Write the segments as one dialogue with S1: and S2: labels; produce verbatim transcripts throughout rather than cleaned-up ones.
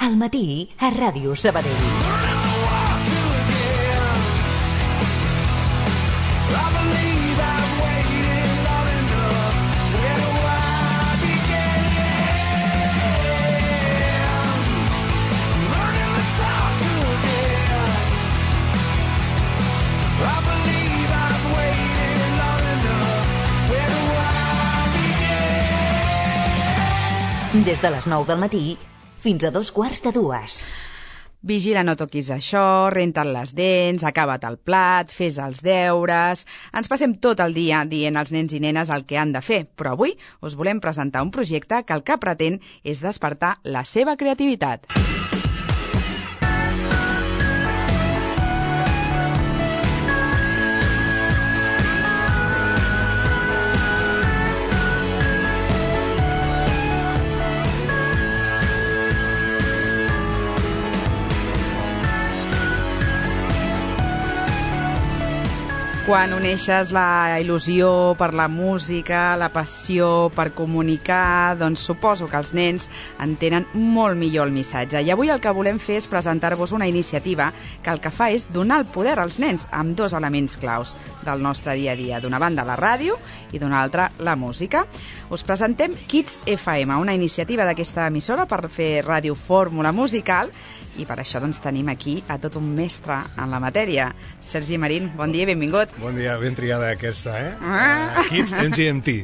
S1: Al matí a Ràdio Sabadell. Des de les nou del matí fins a dos quarts de dues.
S2: Vigila, no toquis això, renta't les dents, acaba't el plat, fes els deures... Ens passem tot el dia dient als nens i nenes el que han de fer, però avui us volem presentar un projecte que el que pretén és despertar la seva creativitat. Quan uneixes la il·lusió per la música, la passió per comunicar, doncs suposo que els nens entenen molt millor el missatge. I avui el que volem fer és presentar-vos una iniciativa que el que fa és donar el poder als nens amb dos elements claus del nostre dia a dia. D'una banda la ràdio i d'una altra la música. Us presentem Kids F M, una iniciativa d'aquesta emissora per fer ràdio fórmula musical, i per això doncs tenim aquí a tot un mestre en la matèria. Sergi Marín, bon dia i benvingut.
S3: Bon dia, ben triada aquesta, eh? Ah. Uh, Kids M G M T.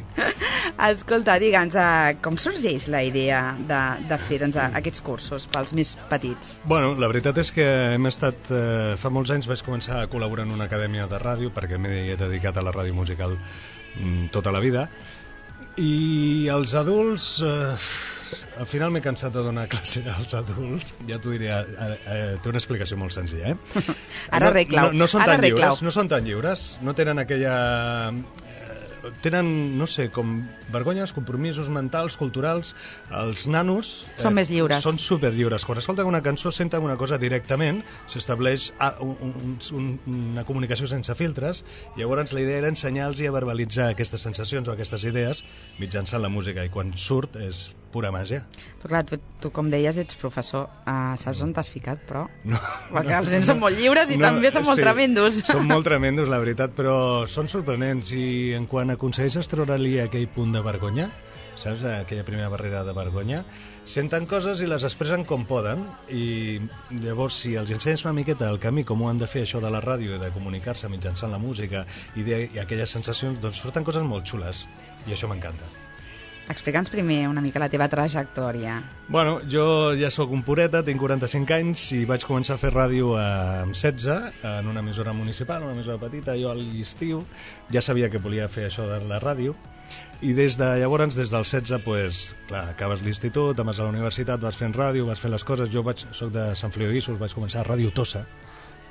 S2: Escolta, digue'ns, uh, com sorgeix la idea de, de fer doncs, aquests cursos pels més petits?
S3: Bueno, la veritat és que hem estat... Uh, fa molts anys vaig començar a col·laborar en una acadèmia de ràdio, perquè m'he dedicat a la ràdio musical mm, tota la vida, i els adults... Uh, al final m'he cansat de donar classe als adults. Ja t'ho diré, eh, eh, té una explicació molt senzilla, eh?
S2: Ara arreglau.
S3: No, no, no són
S2: Ara
S3: tan
S2: arreglau.
S3: lliures, no són tan lliures, no tenen aquella... tenen, no sé, com vergonyes, compromisos mentals, culturals. Els nanos...
S2: Eh, són més lliures.
S3: Són superllliures. Quan escolten una cançó, senten una cosa directament, s'estableix un, un, un, una comunicació sense filtres, i llavors la idea era ensenyar-los a verbalitzar aquestes sensacions o aquestes idees mitjançant la música, i quan surt és pura màgia.
S2: Però clar, tu, tu com deies, ets professor, uh, saps on t'has ficat, però?
S3: No.
S2: Perquè els nens no, són molt lliures i no, també són molt
S3: sí,
S2: tremendos.
S3: Són molt tremendos, la veritat, però són sorprenents, i en quan aconsegueixes treure-li aquell punt de vergonya, saps, aquella primera barrera de vergonya, senten coses i les expressen com poden, i llavors si els ensenyes una miqueta el camí, com ho han de fer això de la ràdio i de comunicar-se mitjançant la música i, de, i aquelles sensacions, doncs surten coses molt xules, i això m'encanta.
S2: Explica'ns primer una mica la teva trajectòria.
S3: Bueno, jo ja sóc un pureta, tinc quaranta-cinc anys i vaig començar a fer ràdio amb setze en una emissora municipal, una emissora petita. Jo a l'estiu ja sabia que volia fer això de la ràdio, i des de llavors, des dels setze, pues, clar, acabes l'institut, vas a la universitat, vas fent ràdio, vas fent les coses. Jo vaig, soc de Sant Feliu de Guíxols, vaig començar a Ràdio Tossa,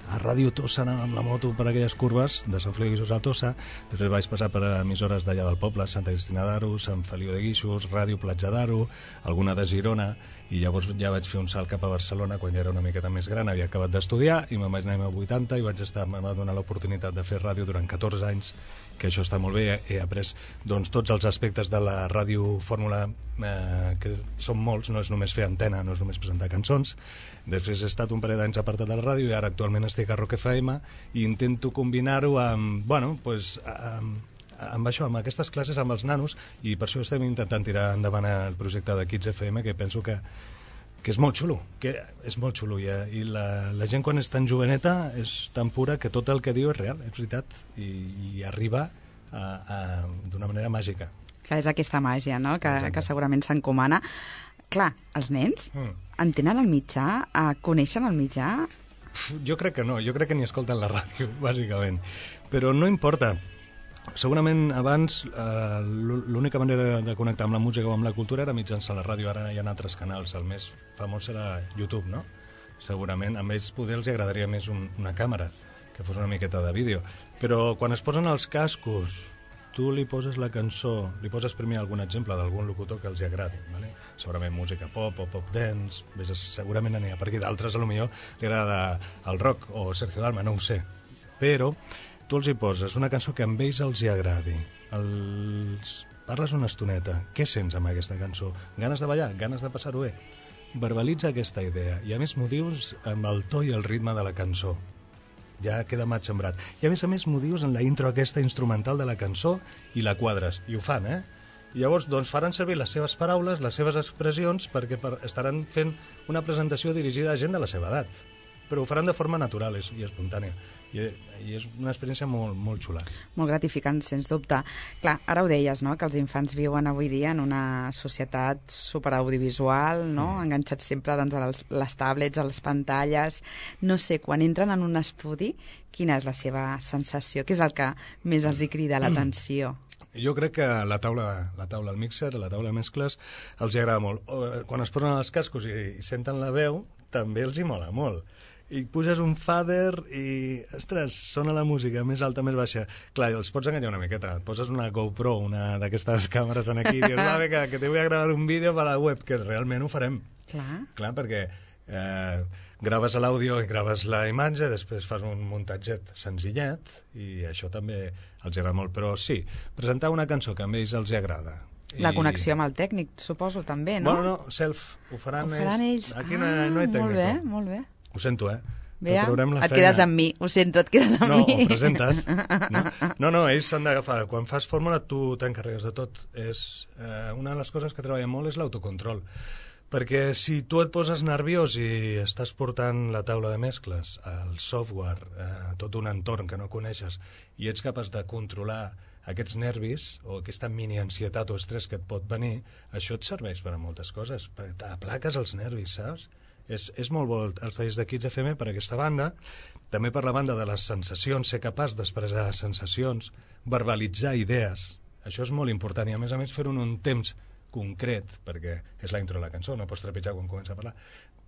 S3: a Ràdio Tossa, anant amb la moto per aquelles curves de Sant Feliu de Guíxols a Tossa. Després vaig passar per emissores d'allà del poble, Santa Cristina d'Aro, Sant Feliu de Guíxols, Ràdio Platja d'Aro, alguna de Girona, i llavors ja vaig fer un salt cap a Barcelona quan ja era una miqueta més gran, havia acabat d'estudiar i me'n vaig anar a vuitanta i vaig estar, em va donar l'oportunitat de fer ràdio durant catorze anys, que això està molt bé. He après doncs, tots els aspectes de la ràdio fórmula, eh, que són molts, no és només fer antena, no és només presentar cançons. Després he estat un parell d'anys apartat de la ràdio i ara actualment estic a Rock F M i intento combinar-ho amb, bueno, pues, amb, amb això, amb aquestes classes amb els nanos, i per això estem intentant tirar endavant el projecte de Kids F M, que penso que, que és molt xulo, que és molt xulo, i, i la, la gent quan és tan joveneta és tan pura que tot el que diu és real, és veritat, i, i arriba a, a, d'una manera màgica.
S2: Clar, és aquesta màgia, no?, que, que segurament s'encomana. Clar, els nens mm. entenen el mitjà, coneixen el mitjà?
S3: Jo crec que no, jo crec que ni escolten la ràdio, bàsicament, però no importa. Segurament abans eh, l'única manera de connectar amb la música o amb la cultura era mitjançant la ràdio. Ara hi ha altres canals, el més famós serà YouTube, no? Segurament a ells poder els agradaria més un, una càmera, que fos una miqueta de vídeo, però quan es posen els cascos, tu li poses la cançó, li poses primer algun exemple d'algun locutor que els agradi, ¿vale? Segurament música pop o pop dance, segurament n'hi ha per aquí, d'altres potser li agrada el rock o Sergio Dalma, no ho sé, però tu els hi poses una cançó que amb ells els hi agradi, els... parles una estoneta, què sents amb aquesta cançó? Ganes de ballar? Ganes de passar-ho bé? verbalitza aquesta idea i a més m'ho dius amb el to i el ritme de la cançó. Ja queda matxembrat. I a més a més m'ho dius en la intro aquesta instrumental de la cançó i la quadres. I ho fan, eh? I llavors doncs, faran servir les seves paraules, les seves expressions, perquè per, estaran fent una presentació dirigida a gent de la seva edat. Però ho faran de forma natural i espontània. I, i és una experiència molt, molt xula.
S2: Molt gratificant, sens dubte. Clar, ara ho deies, no?, que els infants viuen avui dia en una societat superaudiovisual, no?, mm. enganxats sempre doncs, a les, les tablets, a les pantalles. No sé, quan entren en un estudi, quina és la seva sensació? Què és el que més els hi crida l'atenció?
S3: Jo crec que la taula, la taula al mixer, la taula de mescles, els hi agrada molt. Quan es posen els cascos i, i senten la veu, també els hi mola molt. I puges un fader i, ostres, sona la música més alta, més baixa. Clar, els pots enganyar una miqueta. Et poses una GoPro, una d'aquestes càmeres en aquí, i dius, va, vinga, que te voy a gravar un vídeo per a la web, que realment ho farem.
S2: Clar.
S3: Clar, perquè eh, graves l'àudio i graves la imatge, després fas un muntatget senzillet, i això també els agrada molt. Però sí, presentar una cançó que a ells els agrada.
S2: La connexió amb el tècnic, suposo, també, no?
S3: Bueno, no, self, ho faran,
S2: ho faran ells.
S3: ells. Aquí
S2: ah,
S3: no, no hi tècnico.
S2: Molt bé, molt bé.
S3: Ho sento, eh?
S2: Bé, et quedes amb mi, ho sento, et quedes amb
S3: no,
S2: mi.
S3: No, ho presentes. No, no, no ells s'han d'agafar. Quan fas fórmula, tu t'encarregues de tot. És, eh, una de les coses que treballa molt és l'autocontrol. Perquè si tu et poses nerviós i estàs portant la taula de mescles, el software, eh, tot un entorn que no coneixes, i ets capaç de controlar aquests nervis o aquesta mini-ansietat o estrès que et pot venir, això et serveix per a moltes coses. Aplaques els nervis, saps? És, és molt bo els talls de Kids F M per aquesta banda, també per la banda de les sensacions, ser capaç d'expressar sensacions, verbalitzar idees, això és molt important, i a més a més fer-ho en un temps concret, perquè és la intro de la cançó, no pots trepitjar quan comença a parlar.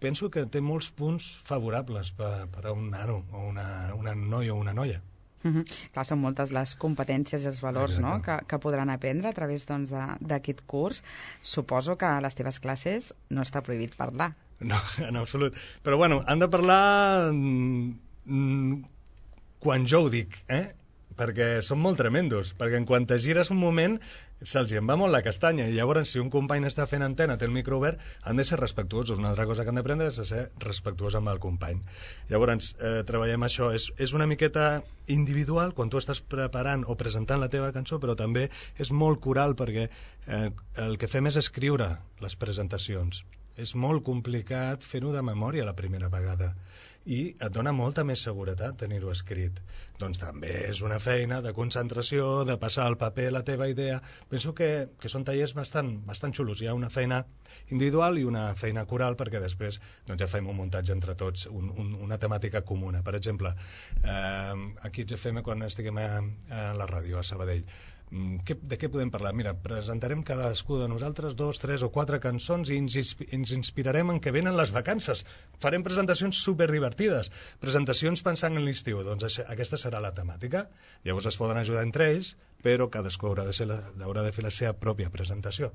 S3: Penso que té molts punts favorables per, per a un nano o una, una noia o una noia.
S2: Uh-huh. Clar, són moltes les competències i els valors, no?, que, que podran aprendre a través doncs, d'aquest curs. Suposo que a les teves classes no està prohibit parlar.
S3: No, en absolut. Però bueno, han de parlar mm, quan jo ho dic, eh? Perquè són molt tremendos, perquè en quan te gires un moment se'ls en va molt la castanya, i llavors si un company està fent antena, té el micro obert, han de ser respectuosos. Una altra cosa que han d'aprendre és a ser respectuós amb el company. Llavors, eh, treballem això. És, és una miqueta individual quan tu estàs preparant o presentant la teva cançó, però també és molt coral, perquè eh, el que fem és escriure les presentacions. És molt complicat fer-ho de memòria la primera vegada, i et dona molta més seguretat tenir-ho escrit. Doncs també és una feina de concentració, de passar al paper la teva idea. Penso que, que són tallers bastant, bastant xulos. Hi ha una feina individual i una feina coral, perquè després doncs, ja fem un muntatge entre tots, un, un, una temàtica comuna. Per exemple, eh, aquí a F M, quan estiguem a, a la ràdio, a Sabadell, Que, de què podem parlar? Mira, presentarem cadascú de nosaltres dos, tres o quatre cançons i ens, ens inspirarem en què venen les vacances. Farem presentacions superdivertides, presentacions pensant en l'estiu. Doncs aquesta serà la temàtica. Llavors es poden ajudar entre ells, però cadascú haurà de, ser la, haurà de fer la seva pròpia presentació,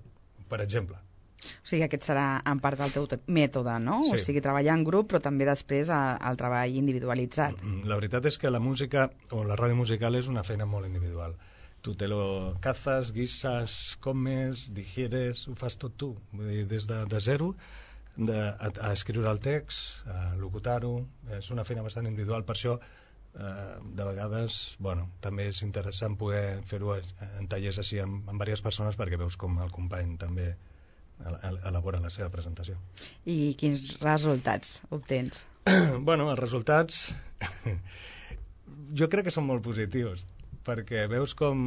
S3: per exemple.
S2: O sigui, aquest serà en part del teu mètode, no?
S3: Sí.
S2: O sigui, treballar en grup, però també després el treball individualitzat.
S3: La veritat és que la música o la ràdio musical és una feina molt individual. Tu te lo cazas, guisas, comes, digieres, ho fas tot tu. Vull dir, des de, de zero de, a, a escriure el text, a locutar-ho. És una feina bastant individual. Per això, eh, de vegades, bueno, també és interessant poder fer-ho en tallers així amb, amb diverses persones, perquè veus com el company també elabora la seva presentació.
S2: I quins resultats obtens?
S3: Bueno, els resultats jo crec que són molt positius, perquè veus com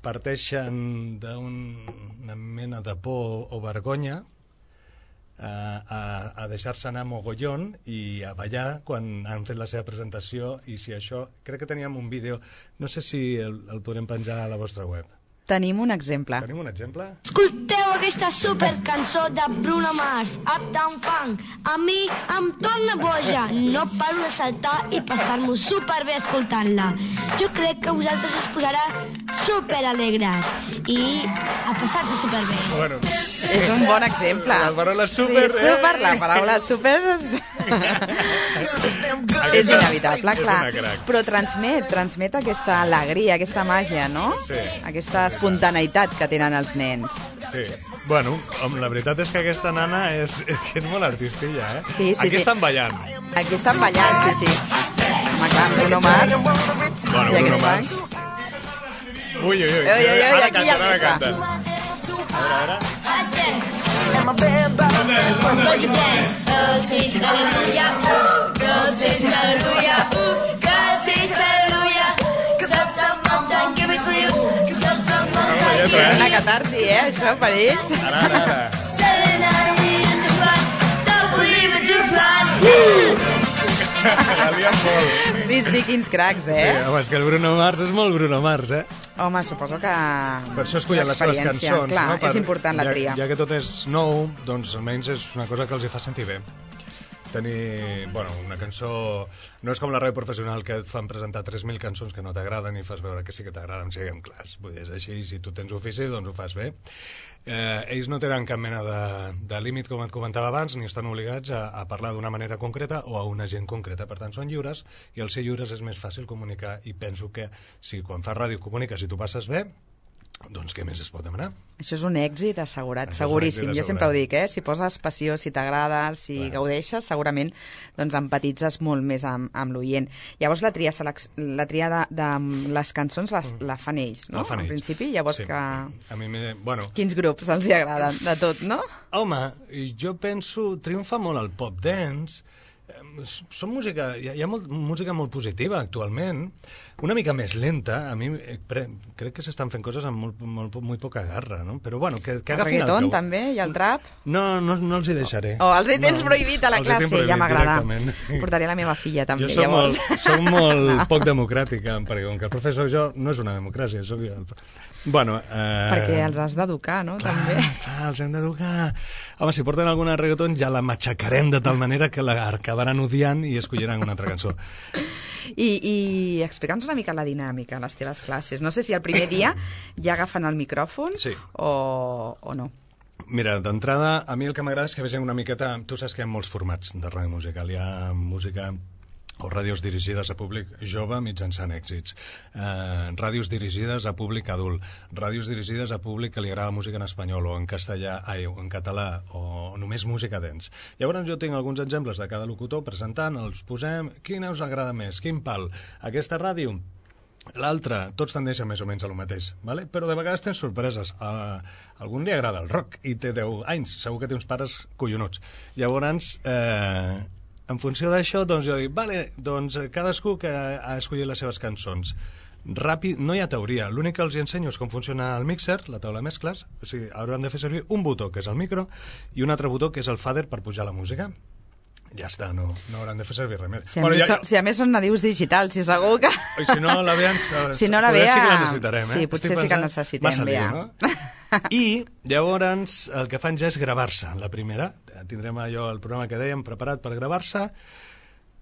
S3: parteixen d'una mena de por o vergonya a, a, a deixar-se anar mogollon i a ballar quan han fet la seva presentació. I si això, crec que teníem un vídeo, no sé si el, el podrem penjar a la vostra web.
S2: Tenim un exemple.
S3: Tenim un exemple?
S4: Escolteu aquesta supercançó de Bruno Mars, Uptown Funk. A mi em torna boja. No paro de saltar i passar-m'ho superbé escoltant-la. Jo crec que a vosaltres us posarà superalegres i a passar-se superbé.
S3: Bueno,
S2: És un bon exemple.
S3: La paraula super...
S2: Sí, super, la paraula super... és inevitable, clar. Però transmet, transmet aquesta alegria, aquesta màgia, no?
S3: Sí.
S2: Aquesta espontaneïtat que tenen els nens.
S3: Sí. Bueno, la veritat és que aquesta nana és, és molt artistilla, eh?
S2: Sí, sí,
S3: Aquí
S2: sí.
S3: estan ballant.
S2: Aquí estan ballant, sí, sí. Home, clar, Bruno Mars.
S3: Bueno, Bruno Mars. Ui, ui, ui.
S2: Ui, ui, ui,
S3: Ara
S2: aquí ja
S3: canten, ara
S2: empieza.
S3: canten. A veure, a veure.
S2: És una catarsi, eh, això, per ells.
S3: Ara, ara, ara. La lien molt.
S2: Sí, sí, quins cracs,
S3: Sí,
S2: eh?
S3: home, és que el Bruno Mars és molt Bruno Mars, eh?
S2: Home, suposo que...
S3: Per això escollen les seves
S2: l'experiència,
S3: cançons.
S2: clar,
S3: no? Per,
S2: és important la tria.
S3: Ja, ja que tot és nou, doncs almenys és una cosa que els hi fa sentir bé. Tenir, bueno, una cançó... No és com la ràdio professional que et fan presentar tres mil cançons que no t'agraden i fas veure que sí que t'agraden, siguem clars. Vull dir, és així, si tu tens ofici, doncs ho fas bé. Eh, ells no tenen cap mena de, de límit, com et comentava abans, ni estan obligats a, a parlar d'una manera concreta o a una gent concreta. Per tant, són lliures, i al ser lliures és més fàcil comunicar, i penso que si quan fas ràdio comuniques i tu passes bé, doncs què més es pot demanar?
S2: Això és un èxit assegurat,
S3: Això és un
S2: seguríssim.
S3: èxit
S2: Jo sempre ho
S3: assegurat.
S2: dic, eh? Si poses passió, si t'agrada, si
S3: Clar.
S2: gaudeixes, segurament doncs empatitzes molt més amb, amb l'oient. Llavors la tria, selec... la tria de, de les cançons la, la fan ells, no?
S3: La fan
S2: En
S3: ells.
S2: principi, llavors
S3: Sí.
S2: que...
S3: A mi, me... bueno,
S2: Quins grups els hi agraden? De tot, no?
S3: home, jo penso, triomfa molt el pop dance. Eh, Són música, hi ha, hi ha molt, música molt positiva actualment, una mica més lenta. A mi eh, pre, crec que s'estan fent coses amb molt, molt, molt poca garra, no? Però bueno, que, que
S2: El
S3: agafin el
S2: reggaeton
S3: peu.
S2: també, i el trap?
S3: No, no, no els hi deixaré.
S2: O els hi tens
S3: No,
S2: prohibit a la
S3: els hi tinc
S2: classe, ja
S3: prohibit
S2: m'agrada.
S3: directament, sí.
S2: Portaré la meva filla també,
S3: Jo soc
S2: llavors.
S3: molt, soc molt poc democràtica, perquè com que el professor jo no és una democràcia, soc jo. El... Bueno, eh...
S2: Perquè els has d'educar, no?
S3: Clar,
S2: També.
S3: clar, els hem d'educar. Home, si porten alguna reggaeton ja la matxacarem de tal manera que la acabaran odiant i escolliran una altra cançó.
S2: I, i explica'ns una mica la dinàmica a les teves classes. No sé si el primer dia ja agafen el micròfon
S3: Sí.
S2: o, o no.
S3: Mira, d'entrada, a mi el que m'agrada és que vegin una miqueta... Tu saps que hi ha molts formats de ràdio musical. Hi ha música o ràdios dirigides a públic jove mitjançant èxits, eh, ràdios dirigides a públic adult, ràdios dirigides a públic que li agrada música en espanyol o en castellà, ai, o en català, o només música dance. Llavors jo tinc alguns exemples de cada locutor presentant, els posem, quina us agrada més, quin pal, aquesta ràdio, l'altra, tots tendeixen més o menys a lo mateix, vale? Però de vegades tens sorpreses. A algun li agrada el rock i té deu anys, segur que té uns pares collonuts. Llavors, eh, en funció d'això, doncs jo dic, vale, doncs cadascú que ha escollit les seves cançons. Ràpid, no hi ha teoria, l'únic que els hi ensenyo és com funciona el mixer, la taula de mescles, o sigui, hauran de fer servir un botó, que és el micro, i un altre botó, que és el fader, per pujar la música. Ja està, no, no hauran de fer servir res més.
S2: Si a, bueno, més, ja... si a més són nadius digitals, si segur que...
S3: I si no, la Bea...
S2: Si no, la Bea...
S3: Sí que la necessitarem, eh?
S2: Sí, potser sí que la necessitem,
S3: massa
S2: Bea.
S3: Lío, no? I llavors el que fan ja és gravar-se. La primera, tindrem allò, el programa que dèiem, preparat per gravar-se.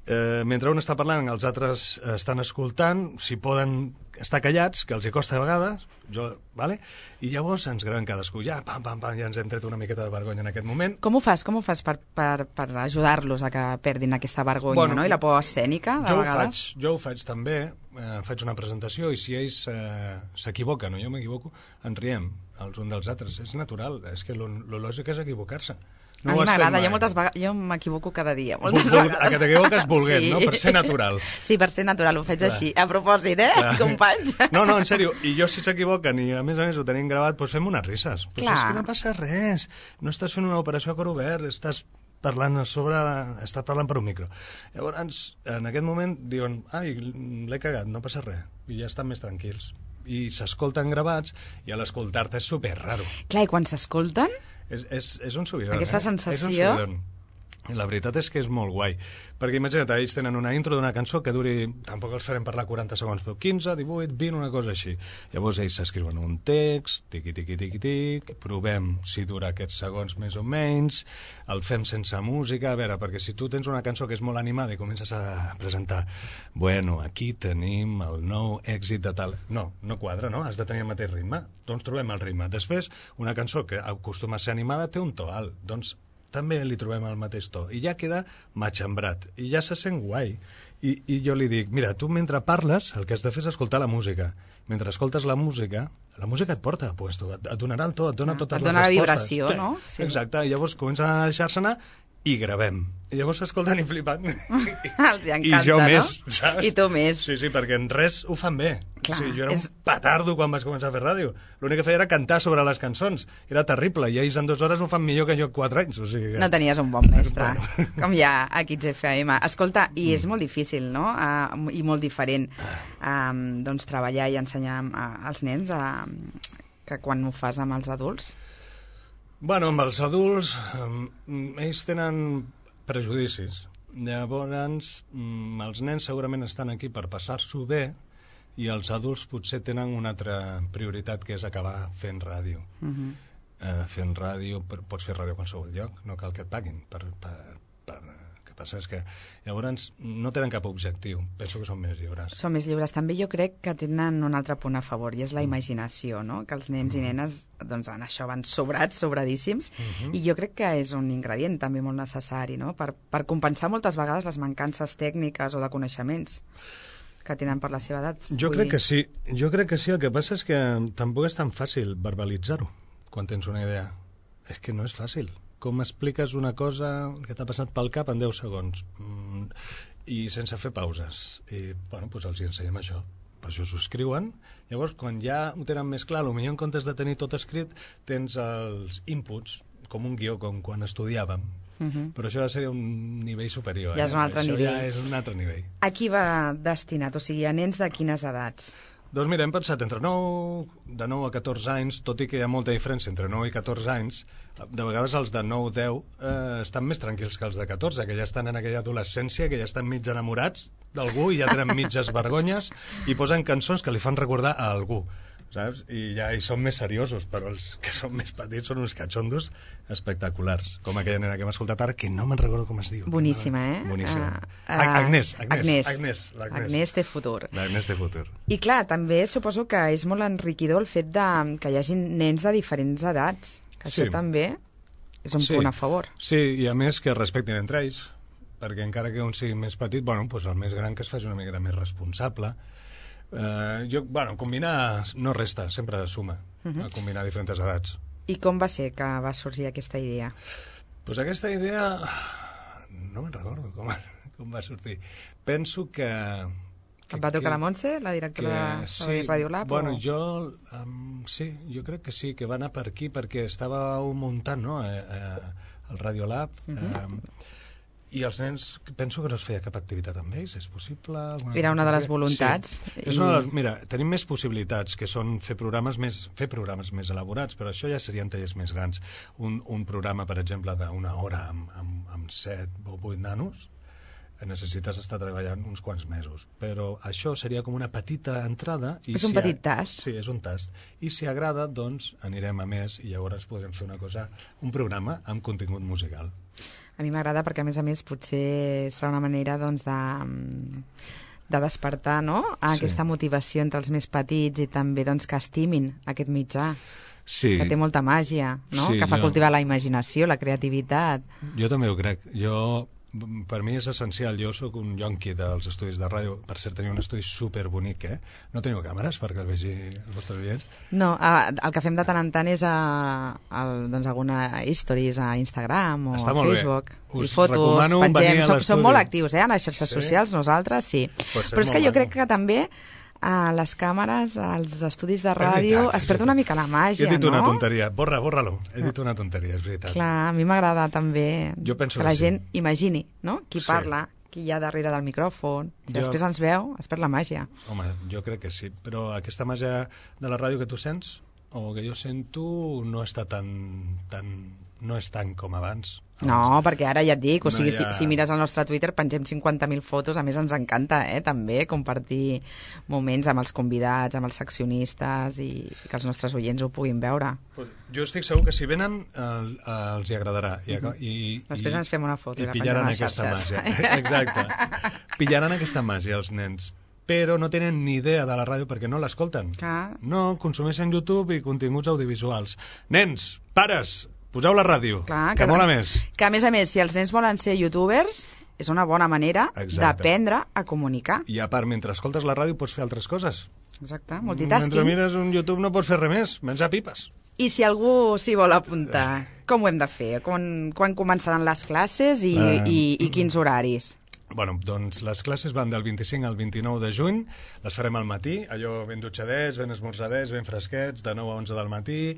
S3: Eh, mentre un està parlant, els altres estan escoltant, si poden estar callats, que els hi costa a vegades, jo, vale? I llavors ens graven cadascú, ja, pam, pam, pam, ja ens hem tret una miqueta de vergonya en aquest moment.
S2: Com ho fas, com ho fas per, per, per ajudar-los a que perdin aquesta vergonya, bueno, no? I la por escènica, de
S3: jo
S2: vegades?
S3: Ho faig, jo ho faig també, eh, faig una presentació i si ells eh, s'equivoquen o jo m'equivoco, ens riem els uns dels altres, és natural, és que lo, lo lògic és equivocar-se. No
S2: a mi m'agrada, jo moltes vegades, jo m'equivoco cada dia, moltes
S3: Vol,
S2: vegades.
S3: A que t'equivoques volguent,
S2: sí.
S3: no? Per ser natural.
S2: Sí, per ser natural, ho faig
S3: Clar.
S2: així, a propòsit, eh, Clar. companys?
S3: No, no, en sèrio, i jo si s'equivoquen i a més a més ho tenim gravat, doncs fem unes risses. Doncs
S2: Clar.
S3: és que no passa res, no estàs fent una operació a cor obert, estàs parlant a sobre, estàs parlant per un micro. Llavors, en aquest moment diuen, ai, l'he cagat, no passa res, i ja estan més tranquils. I s'escolten gravats i a l'escoltar-te és super raro.
S2: Clar, i quan s'escolten?
S3: És, és, és un subidon,
S2: Aquesta
S3: eh?
S2: sensació...
S3: És un subidon. La veritat és que és molt guai, perquè imagina't, ells tenen una intro d'una cançó que duri, tampoc els farem parlar quaranta segons, però quinze, divuit, vint, una cosa així. Llavors ells s'escriuen un text, tiqui, tiqui, tiqui, tiqui, provem si dura aquests segons més o menys, el fem sense música, a veure, perquè si tu tens una cançó que és molt animada i comences a presentar, bueno, aquí tenim el nou èxit de tal... No, no quadra, no? Has de tenir el mateix ritme. Doncs trobem el ritme. Després, una cançó que acostuma a ser animada té un to alt, doncs també li trobem el mateix to, i ja queda matxembrat, i ja se sent guai. I, I jo li dic, mira, tu mentre parles, el que has de fer és escoltar la música. Mentre escoltes la música, la música et porta a puesto, et, et donarà el to, et dona
S2: ah,
S3: totes
S2: et
S3: les
S2: dona
S3: respostes.
S2: Et dona la vibració,
S3: sí,
S2: no? Sí.
S3: Exacte, i llavors comencen a deixar-se anar i gravem. I llavors escolten i flipant.
S2: Els hi encanta,
S3: I jo
S2: no?
S3: més, saps?
S2: I tu més.
S3: Sí, sí, perquè en res ho fan bé.
S2: Clar,
S3: o sigui, jo era
S2: és...
S3: un petardo quan vaig començar a fer ràdio. L'únic que feia era cantar sobre les cançons. Era terrible, i ells en dues hores ho fan millor que jo quatre anys. O sigui que...
S2: No tenies un bon mestre,
S3: bueno.
S2: com hi ha a Kids F M. Escolta, i és molt difícil, no?, uh, i molt diferent um, doncs, treballar i ensenyar uh, als nens uh, que quan ho fas amb els adults.
S3: Bueno, amb els adults, eh, ells tenen prejudicis. Llavors, mm, els nens segurament estan aquí per passar-s'ho bé i els adults potser tenen una altra prioritat, que és acabar fent ràdio. Uh-huh. eh, fent ràdio, pots fer ràdio a qualsevol lloc, no cal que et paguin per... per, per el que passa és que llavors no tenen cap objectiu, penso que són més lliures.
S2: Són més lliures. També jo crec que tenen un altre punt a favor, i és la imaginació, no?, que els nens i nenes doncs, en això van sobrats, sobradíssims, uh-huh. i jo crec que és un ingredient també molt necessari, no?, per, per compensar moltes vegades les mancances tècniques o de coneixements que tenen per la seva edat.
S3: Jo crec que sí, jo crec que sí, el que passa és que tampoc és tan fàcil verbalitzar-ho quan tens una idea. És que no és fàcil. Com expliques una cosa que t'ha passat pel cap en deu segons mm, i sense fer pauses. I, bueno, doncs els hi ensenyem això. Per això s'ho escriuen. Llavors, quan ja ho tenen més clar, potser en comptes de tenir tot escrit, tens els inputs, com un guió, com quan estudiàvem. Uh-huh. Però això ja seria un nivell superior.
S2: Ja
S3: eh?
S2: és un altre
S3: això
S2: nivell.
S3: Ja és un altre nivell.
S2: A qui va destinat? O sigui, a nens de quines edats?
S3: Doncs mira, hem pensat entre nou, de nou a catorze anys, tot i que hi ha molta diferència entre nou i catorze anys, de vegades els de nou deu eh, estan més tranquils que els de catorze, que ja estan en aquella adolescència, que ja estan mig enamorats d'algú i ja tenen mitges vergonyes i posen cançons que li fan recordar a algú, saps? I ja hi són més seriosos, però els que són més petits són uns catxondos espectaculars, com aquella nena que hem escoltat ara, que no me'n recordo com es diu.
S2: Boníssima, eh?
S3: Boníssima.
S2: Uh, uh,
S3: Agnès, Agnès,
S2: Agnès.
S3: Agnès, l'Agnès.
S2: Agnès té futur.
S3: L'Agnès té futur.
S2: I clar, també suposo que és molt enriquidor el fet de que hi hagi nens de diferents edats, que això
S3: Sí.
S2: també és un
S3: Sí.
S2: punt a favor.
S3: Sí, i a més que es respectin entre ells, perquè encara que un sigui més petit, bueno, doncs el més gran que es faci una miqueta més responsable. Eh, jo, bueno, combinar no resta, sempre suma, uh-huh. combinar diferents edats.
S2: I com va ser que va sorgir aquesta idea?
S3: Doncs aquesta idea... no me'n recordo com, com va sortir. Penso que... que
S2: Et va trucar
S3: que,
S2: la Montse, la directora
S3: que,
S2: de
S3: sí,
S2: Radiolab?
S3: Bueno,
S2: o...
S3: jo... Um, sí, jo crec que sí, que va anar per aquí, perquè estava muntant, no?, eh, eh, el Radiolab, uh-huh. eh, i els nens, penso que no es feia cap activitat amb ells, és possible? Alguna
S2: Era una de les
S3: cosa?
S2: voluntats.
S3: Sí.
S2: I...
S3: És una de les, mira, tenim més possibilitats, que són fer programes més, fer programes més elaborats, però això ja serien tallers més grans. Un, un programa, per exemple, d'una hora amb, amb, amb set o vuit nanos, necessites estar treballant uns quants mesos. Però això seria com una petita entrada. I
S2: és un
S3: si
S2: petit
S3: ha...
S2: tast.
S3: Sí, és un tast. I si agrada, doncs anirem a més i llavors podrem fer una cosa, un programa amb contingut musical.
S2: A mi m'agrada perquè, a més a més, potser serà una manera doncs, de, de despertar, no?, aquesta sí. motivació entre els més petits i també doncs, que estimin aquest mitjà.
S3: Sí.
S2: Que té molta màgia, no?
S3: Sí,
S2: que fa
S3: jo...
S2: cultivar la imaginació, la creativitat.
S3: Jo també ho crec. Jo... Per mi és essencial, jo sóc un yonqui dels estudis de ràdio, per cert teniu un estudi superbonic, eh? No teniu càmeres perquè el vegi els vostres oients?
S2: No, el que fem de tant en tant és a, a, doncs, alguna stories a Instagram o
S3: Està
S2: a Facebook, i fotos, pengem, som, som molt actius eh, en les xarxes sí? socials, nosaltres sí, però és que jo crec que també a les càmeres, als estudis de ràdio, veritat, es perd una mica la màgia, no?
S3: He dit una no? tonteria, borra, borra-lo. He dit una tonteria, és veritat.
S2: Clar, a mi m'agrada també
S3: jo penso
S2: que la
S3: que
S2: gent
S3: sí.
S2: imagini, no? Qui
S3: sí.
S2: parla, qui hi ha darrere del micròfon, i jo... després ens veu, es perd la màgia.
S3: Home, jo crec que sí, però aquesta màgia de la ràdio que tu sents, o que jo sento, no està tan... tan no és tant com abans.
S2: No, perquè ara ja et dic, o
S3: No
S2: sigui,
S3: hi ha-
S2: si, si mires el nostre Twitter pengem cinquanta mil fotos, a més ens encanta, eh, també, compartir moments amb els convidats, amb els seccionistes i que els nostres oients ho puguin veure.
S3: Jo estic segur que si venen el, els hi agradarà. I, i,
S2: Després
S3: i,
S2: ens fem una foto i
S3: i
S2: la
S3: pillaran
S2: pengem a les
S3: aquesta
S2: xarxes.
S3: màgia. Exacte. Pillaran aquesta màgia els nens, però no tenen ni idea de la ràdio perquè no l'escolten.
S2: Clar.
S3: No, consumeixen YouTube i continguts audiovisuals. Nens, pares, poseu la ràdio,
S2: Clar,
S3: que, que mola més.
S2: Que a més a més, si els nens volen ser youtubers, és una bona manera
S3: Exacte.
S2: d'aprendre a comunicar.
S3: I a part, mentre escoltes la ràdio pots fer altres coses.
S2: Exacte,
S3: Mentre
S2: multitasking.
S3: mires un YouTube no pots fer res més, menjar pipes.
S2: I si algú s'hi vol apuntar, com ho hem de fer? Quan, quan començaran les classes i,
S3: Eh,
S2: i, i quins horaris?
S3: Bueno, doncs les classes van del vint-i-cinc al vint-i-nou de juny, les farem al matí, allò ben dutxadets, ben esmorzadets, ben fresquets, de nou a onze del matí,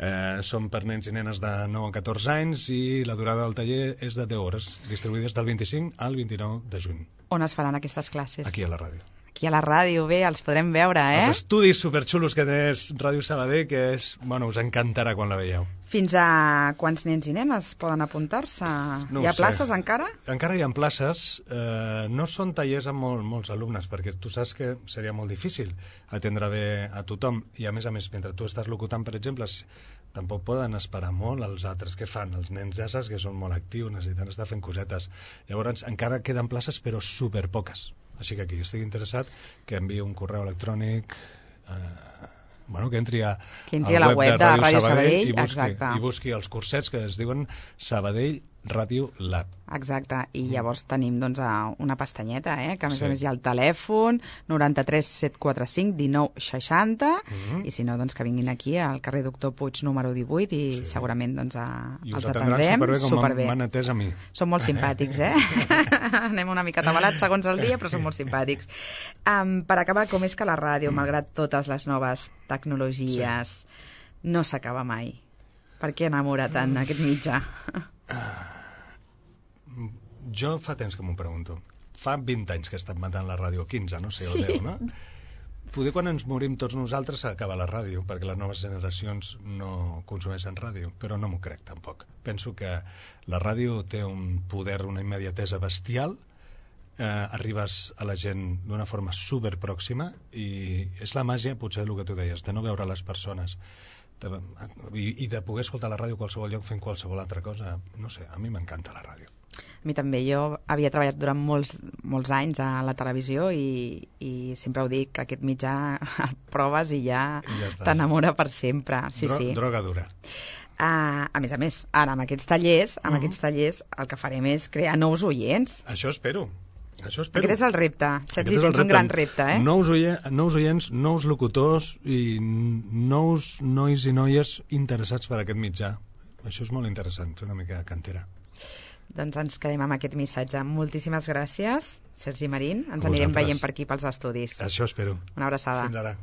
S3: eh, són per nens i nenes de nou a catorze anys i la durada del taller és de deu hores, distribuïdes del vint-i-cinc al vint-i-nou de juny,
S2: On es faran aquestes classes?
S3: aquí a la ràdio.
S2: Aquí a la ràdio, bé, els podrem veure, eh?
S3: Els estudis superxulos que té Ràdio Sabadell, que és, bueno, us encantarà quan la veieu.
S2: Fins a quants nens i nenes poden apuntar-se?
S3: No
S2: Hi ha
S3: ho sé.
S2: places encara?
S3: Encara hi ha places, eh, no són tallers amb molt, molts alumnes, perquè tu saps que seria molt difícil atendre bé a tothom, i a més a més, mentre tu estàs locutant, per exemple, si- tampoc poden esperar molt els altres. Què fan? Els nens ja saps que són molt actius, necessiten estar fent cosetes. Llavors, encara queden places, però superpoques. Així que qui estigui interessat, que enviï un correu electrònic... Eh, bueno, que entri a,
S2: Que entri a la web de Ràdio Sabadell,
S3: i busqui,
S2: exacte.
S3: i busqui els cursets que es diuen Sabadell Ràdio Lab.
S2: Exacte, i llavors tenim doncs, a una pestanyeta, eh? Que a més
S3: Sí.
S2: a més hi ha el telèfon noranta-tres set quatre cinc dinou seixanta
S3: Mhm.
S2: i si no, doncs que vinguin aquí al carrer Doctor Puig número divuit i sí. segurament doncs, a,
S3: I us
S2: els
S3: atendran
S2: atendrem
S3: superbé com
S2: superbé.
S3: m'han atès a mi.
S2: Són molt simpàtics, eh? Anem una mica atabalats segons el dia, però són molt simpàtics. Um, per acabar, com és que la ràdio, malgrat totes les noves tecnologies, sí. no s'acaba mai? Per què enamora tant aquest mitjà?
S3: Jo fa temps que m'ho pregunto. Fa vint anys que he estat matant la ràdio, quinze, no sé, o
S2: Sí.
S3: deu, no? Poder quan ens morim tots nosaltres s'acaba la ràdio, perquè les noves generacions no consumeixen ràdio, però no m'ho crec tampoc. Penso que la ràdio té un poder, una immediatesa bestial, eh, arribes a la gent d'una forma superpròxima i és la màgia, potser el que tu deies, de no veure les persones de, i, i de poder escoltar la ràdio a qualsevol lloc fent qualsevol altra cosa. No sé, a mi m'encanta la ràdio.
S2: A mi també, jo havia treballat durant molts, molts anys a la televisió i, i sempre ho dic, que aquest mitjà el proves i ja,
S3: I ja està.
S2: t'enamora per sempre. Sí,
S3: Dro
S2: sí.
S3: Droga dura.
S2: Uh, a més a més, ara amb aquests tallers, amb
S3: Mhm.
S2: aquests tallers el que farem és crear nous oients.
S3: Això espero. Això espero.
S2: Aquest és el repte. Saps?
S3: Aquest
S2: I
S3: és el
S2: tens un gran repte, eh?
S3: Nous, oie, nous oients, nous locutors i nous nois i noies interessats per aquest mitjà. Això és molt interessant, fer una mica de cantera.
S2: Doncs ens quedem amb aquest missatge. Moltíssimes gràcies, Sergi Marín. Ens
S3: A
S2: anirem
S3: vosaltres.
S2: veient per aquí pels estudis.
S3: Això espero.
S2: Una abraçada.
S3: Fins ara.